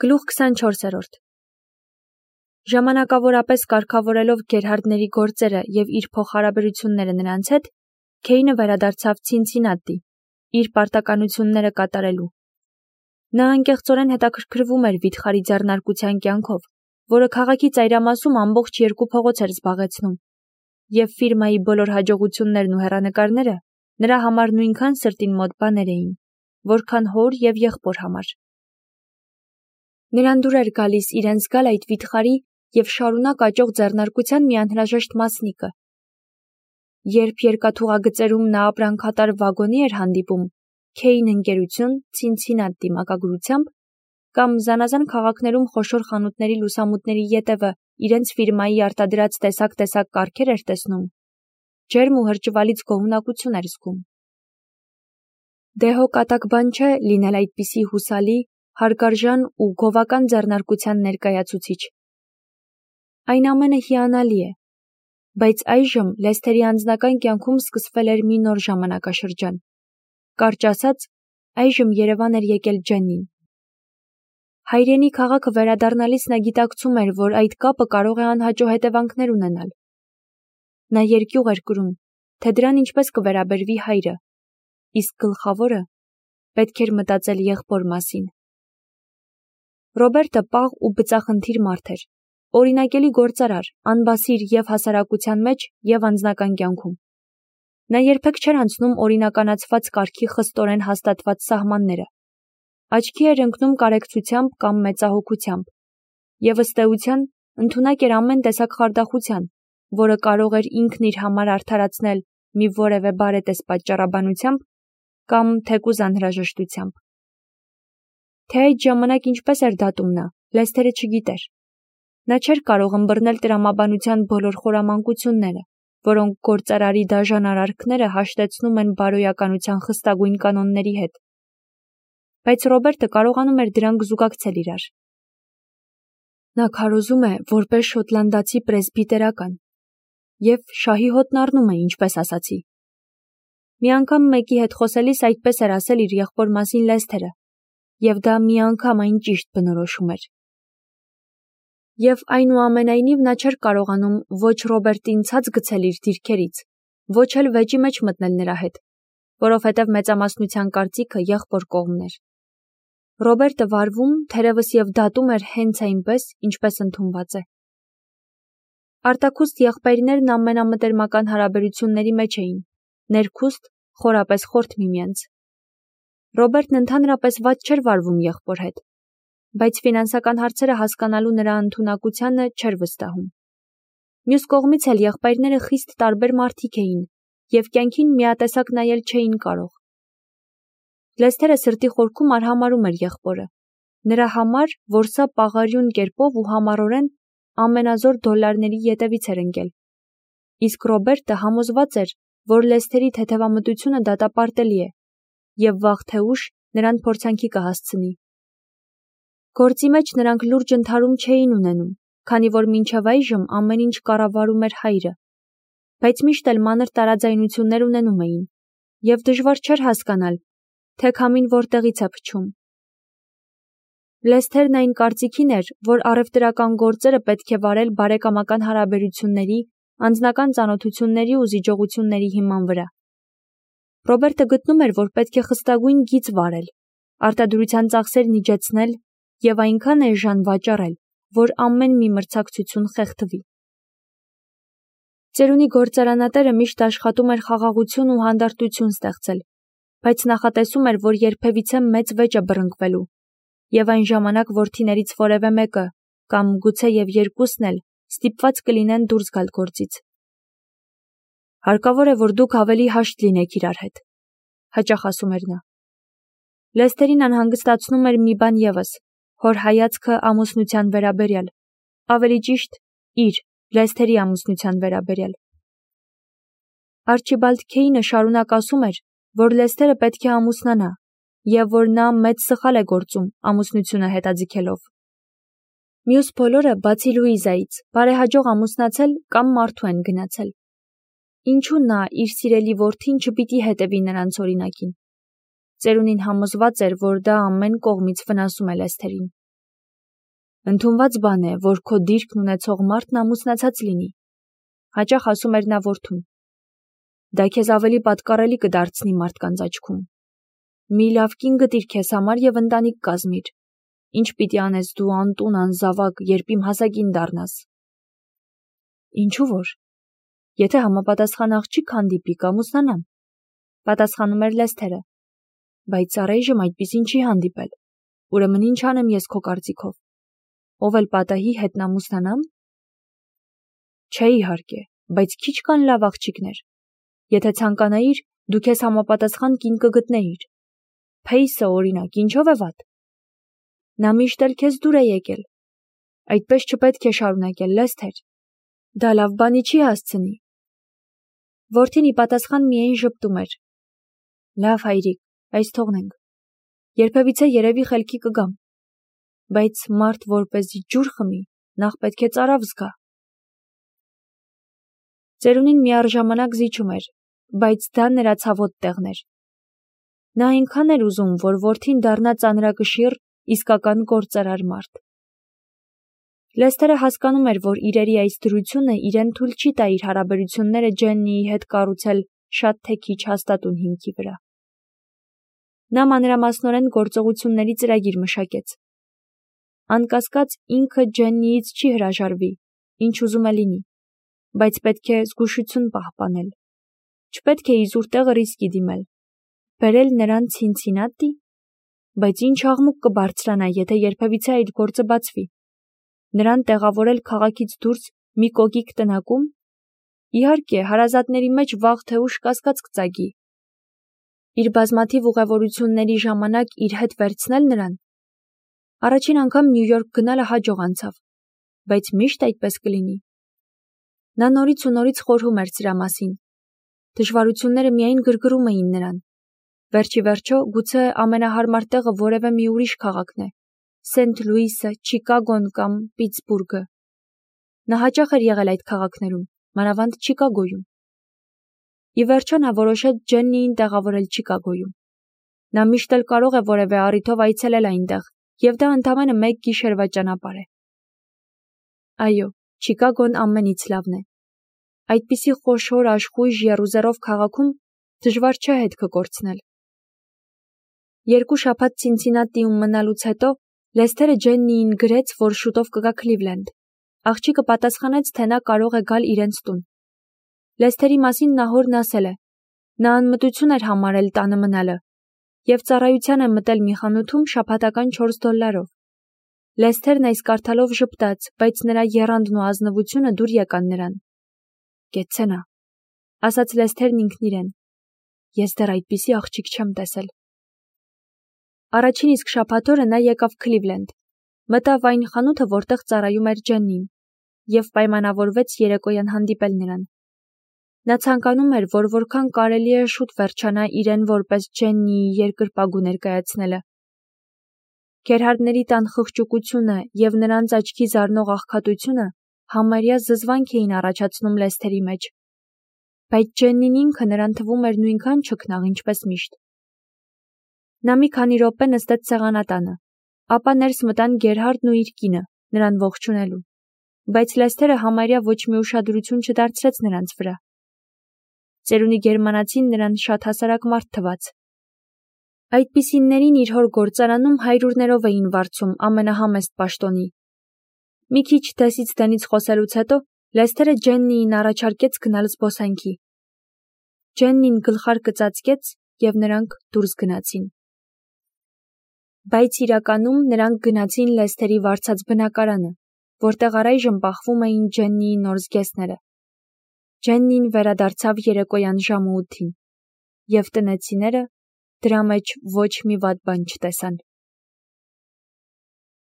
Գլուխ 24-րդ Ժամանակավորապես կարգավորելով Գերհարդների գործերը և իր փոխհարաբերությունները նրանց հետ, Քեյնը վերադարձավ Ցինցինատի, իր պարտականությունները կատարելու։ Նա անկեղծորեն հետաքրքրվում էր վիթխարի ձեռնարկության կյանքով, որը քաղաքի ծայրամասում ամբողջ 2 փողոց էր զբաղեցնում, և ֆիրմայի բոլոր հաջողություններն ու հեռանկարները նրա համար նույնքան սրտին մոտ բաներ էին, որքան հոր և եղբոր համար։ Նրան դուր էր գալիս իրեն զգալ այդ վիթխարի և շարունակ աճող ձեռնարկության մի անհրաժեշտ մասնիկը։ Երբ երկաթուղագծերում նա ապրանքատար վագոնի էր հանդիպում Քեյն ընկերություն Ցինցինատի մակագրությամբ, կամ զանազան քաղաքներում խոշոր խանութների լուսամուտների ետևը իրենց ֆիրմայի արտադրած տեսակ կարգեր էր տեսնում, ջերմ ու հրճվալից գոհունակություն էր զգում։ Դե հո կատակ բան չէ լինել այդպիսի հուսալի, հարգարժան ու գովական ձեռնարկության ներկայացուցիչ։ Այն ամենը հիանալի է, բայց այժմ Լեսթերի անձնական կյանքում սկսվել էր մի նոր ժամանակաշրջան։ Կարճ ասած, այժմ Երևան էր եկել Ջեննին։ Հայրենի քաղաքը վերադառնալիս նա գիտակցում էր, որ այդ կապը կարող է անհաջող հետևանքներ ունենալ։ Նա երկյուղ էր կրում, թե դրան ինչպես կվերաբերվի հայրը, իսկ գլխավորը պետք էր մտածել եղբոր մասին։ Ռոբերտը պաղ ու բծախնդիր մարդ էր, օրինակելի գործարար, անբասիր և հասարակության մեջ, և անձնական կյանքում։ Նա երբեք չէր անցնում օրինականացված կարգի խստորեն հաստատված սահմանները։ Աչքի էր ընկնում կարեկցությամբ կամ մեծահոգությամբ, և ըստ էության ընդունակ էր ամեն տեսակ խարդախության, որը կարող էր ինքն իր համար արդարացնել մի որևէ բարետես պատճառաբանությամբ կամ թեկուզ անհրաժեշտությամբ։ Թե այդ ժամանակ ինչպես էր դատում նա, Լեսթերը չգիտեր։ Նա չէր կարող ըմբռնել տրամաբանության բոլոր խորամանկությունները, որոնք գործարարի դաժան արարքները հաշտեցնում են բարոյականության խստագույն կանոնների հետ։ Բայց Ռոբերտը կարողանում էր դրանք զուգակցել իրար։ Նա քարոզում է որպես շոտլանդացի պրեսբիտերական և շահի հոտն առնում է, ինչպես ասացի։ Մի անգամ մեկի հետ խոսելիս այդպես էր ասել իր եղբոր մասին Լեսթերը, և դա միանգամայն ճիշտ բնորոշում էր։ Եվ այնուամենայնիվ նա չէր կարողանում ոչ Ռոբերտին ցած գցել իր դիրքերից, ոչ էլ վեճի մեջ մտնել նրա հետ, որովհետև մեծամասնության կարծիքը եղբոր կողմն էր։ Ռոբերտը վարվում, թերևս և դատում էր հենց այնպես, ինչպես ընդունված է։ Արտաքուստ եղբայրներն ամենամտերմական հարաբերությունների մեջ էին, ներքուստ խորապես խորթ միմյանց։ Ռոբերտն ընդհանրապես վատ չէր վարվում եղբոր հետ, բայց ֆինանսական հարցերը հասկանալու նրա ընդունակությանը չէր վստահում։ Մյուս կողմից էլ եղբայրները խիստ տարբեր մարդիկ էին և կյանքին միատեսակ նայել չէին կարող։ Լեսթերը սրտի խորքում արհամարհում էր եղբորը, նրա համար, որ սա պաղարյուն կերպով ու համառորեն ամենազոր դոլարների ետևից էր ընկել։ Իսկ Ռոբերտը համոզված էր, որ Լեսթերի թեթևամտությունը դատապարտելի է, և վաղ թե ուշ նրան փորձանքի կհասցնի։ Գործի մեջ նրանք լուրջ ընդհարում չէին ունենում, քանի որ մինչև այժմ ամեն ինչ կառավարում էր հայրը, բայց միշտ էլ մանր տարաձայնություններ ունենում էին, և դժվար չէր հասկանալ, թե քամին որտեղից է փչում։ Լեսթերն այն կարծիքին էր, որ առևտրական գործերը պետք է վարել բարեկամական հարաբերությունների, անձնական ծանոթությունների ու զիջողությունների հիման վրա։ Ռոբերտը գտնում էր, որ պետք է խստագույն գիծ վարել, արտադրության ծախսերն իջեցնել և այնքան էժան վաճառել, որ ամեն մի մրցակցություն խեղդվի։ Ծերունի գործարանատերը միշտ աշխատում էր խաղաղություն ու հանդարտություն ստեղծել, բայց նախատեսում էր, որ երբևիցե մեծ վեճ է բռնկվելու, և այն ժամանակ որդիներից որևէ մեկը, կամ գուցեև երկուսն էլ, ստիպված կլինեն դուրս գալ գործից։ Հարկավոր է, որ դուք ավելի հաշտ լինեք իրար հետ, հաճախ ասում էր նա։ Լեսթերին անհանգստացնում էր մի բան ևս, հոր հայացքը ամուսնության վերաբերյալ, ավելի ճիշտ, իր, Լեսթերի ամուսնության վերաբերյալ։ Արչիբալդ Քեյնը շարունակ ասում էր, որ Լեսթերը պետք է ամուսնանա, և որ նա մեծ սխալ է գործում ամուսնությունը հետաձգելով։ Մյուս բոլորը, բացի Լուիզայից, բարեհաջող ամուսնացել կամ մարդու են գնացել։ Ինչու նա իր սիրելի որդին չպիտի հետևի նրանց օրինակին։ Ծերունին համոզված էր, որ դա ամեն կողմից վնասում է Լեսթերին։ Ընդունված բան է, որ քո դիրքն ունեցող մարդն ամուսնացած լինի, հաճախ ասում էր նա որդուն։ Դա քեզ ավելի պատկառելի կդարձնի մարդկանց աչքում։ Մի լավ կին գտիր քեզ համար եւ ընտանիք կազմիր։ Ինչ պիտի անես դու անտուն անզավակ, երբ իմ հասակին դառնաս։ Ինչու որ։ Եթե համապատասխան աղջիկ հանդիպի կամուսնանամ, պատասխանում էր Լեսթերը։ Բայց առայժմ այդպիսին չի հանդիպել։ Ուրեմն ինչ անեմ ես քո կարծիքով։ Ով էլ պատահի հետ ամուսնանամ։ Չէ իհարկե, բայց քիչ կան լավ աղջիկներ։ Եթե ցանկանայիր, դու քեզ համապատասխան կին կգտնեիր։ Փեյսը օրինակ, ինչով է վատ։ Նա միշտ էլ քեզ դուր է եկել։ Այդպես չպետք է շարունակել, Լեսթեր։ Դա լավ բանի չի հասցնի։ Որդին ի պատասխան միայն ժպտում էր։ Լավ հայրիկ, այս թողնենք։ Երբևիցե երևի խելքի կգամ։ Բայց մարդ որպեսզի ջուր խմի, նախ պետք է ծարավ զգա։ Ծերունին միառժամանակ զիջում էր, բայց դա նրա ցավոտ տեղն էր։ Նա այնքան էր ուզում, որ որդին դառնա ծանրակշիռ, իսկական գործարար մարդ։ Լեսթերը հասկանում էր, որ իրերի այս դրությունը իրեն թույլ չի տա իր հարաբերությունները Ջեննիի հետ կառուցել շատ թե քիչ հաստատուն հիմքի վրա։ Նա մանրամասնորեն գործողությունների ծրագիր մշակեց։ Անկասկած ինքը Ջեննիից չի հրաժարվի, ինչ ուզում է լինի, բայց պետք է զգուշություն պահպանել։ Չպետք է իզուր տեղը ռիսկի դիմել։ Բերել նրան Ցինցինատի, բայց ինչ աղմուկ կբարձրանա, եթե երբևիցե այդ գործը բացվի։ Նրան տեղավորել քաղաքից դուրս մի կոկիկ տնակում։ Իհարկե, հարազատների մեջ վաղ թե ուշ կասկած կծագի։ Իր բազմաթիվ ուղևորությունների ժամանակ իր հետ վերցնել նրան։ Առաջին անգամ Նյու Յորք գնալը հաջող անցավ, բայց միշտ այդպես կլինի։ Նա նորից ու նորից խորհում էր սրա մասին։ Դժվարությունները միայն գրգռում էին նրան։ Վերջի վերջո, գուցե ամենահարմար տեղը որևէ մի ուրիշ քաղաքն է։ Սենթ Լուիսը, Չիկագոն կամ Պիտսբուրգը։ Նա հաճախ էր եղել այդ քաղաքներում, մանավանդ Չիկագոյում։ Ի վերջո նա որոշեց Ջեննիին տեղավորել Չիկագոյում։ Նա միշտ էլ կարող է որևէ առիթով այցելել այնտեղ, եւ դա ընդամենը մեկ գիշերվա ճանապարհ է։ Այո, Չիկագոն ամենից լավն է։ Այդպիսի խոշոր աշխույժ եռուզեռով քաղաքում դժվար չէ հետքը կորցնել։ 2 շաբաթ Ցինցինատիում մնալուց հետո Լեսթերը Ջեննիին գրեց, որ շուտով կգա Քլիվլենդ։ Աղջիկը պատասխանեց, թե նա կարող է գալ իրենց տուն։ Լեսթերի մասին Նահորն ասել է. նա անմտություն էր համարել տանը մնալը եւ ծառայության է մտել մի խանութում շաբաթական $4։ Լեսթերն այս կարդալով ժպտաց, բայց նրա եռանդն ու ազնվությունը դուր եկան նրան։ Կեցցենա, ասաց Լեսթերն ինքն իրեն։ Ես դեռ այդպիսի աղջիկ չեմ տեսել։ Առաջին իսկ շաբաթօրը նա եկավ Քլիվլենդ, մտավ այն խանութը, որտեղ ծառայում էր Ջեննին, եւ պայմանավորվեց երեկոյան հանդիպել նրան։ Նա ցանկանում էր, որ որքան կարելի է շուտ վերջանա իրեն որպես Ջեննիի երկրպագու ներկայացնելը։ Գերհարդների տան խղճուկությունը եւ նրանց աչքի զարնող աղքատությունը համարյա զզվանք էին առաջացնում Լեսթերի մեջ։ Բայց Ջեննին ինքը նրան թվում էր նույնքան չքնաղ, ինչպես միշտ։ Նա մի քանի րոպե նստեց սեղանատանը, ապա ներս մտան Գերհարդն ու իր կինը, նրան ողջունելու, բայց Լեսթերը համարյա ոչ մի ուշադրություն չդարձրեց նրանց վրա։ Ծերունի գերմանացին նրան շատ հասարակ մարդ թվաց։ Այդպիսիններին իր հոր գործարանում հայրուրներով էին վարձում ամենահամեստ պաշտոնի։ Մի քիչ դեսից դենից խոսելուց հետո Լեսթերը Ջեննիին առաջարկեց գնալ զբոսանքի։ Ջեննին գլխարկը ծածկեց եւ նրանք դուրս գնացին։ Բայց իրականում նրանք գնացին Լեսթերի վարձած բնակարանը, որտեղ առայժմ պահվում էին Ջեննիի նոր զգեստները։ Ջեննին վերադարձավ երեկոյան ժամը 8-ին, եւ տնեցիները դրա մեջ ոչ մի վատ բան չտեսան։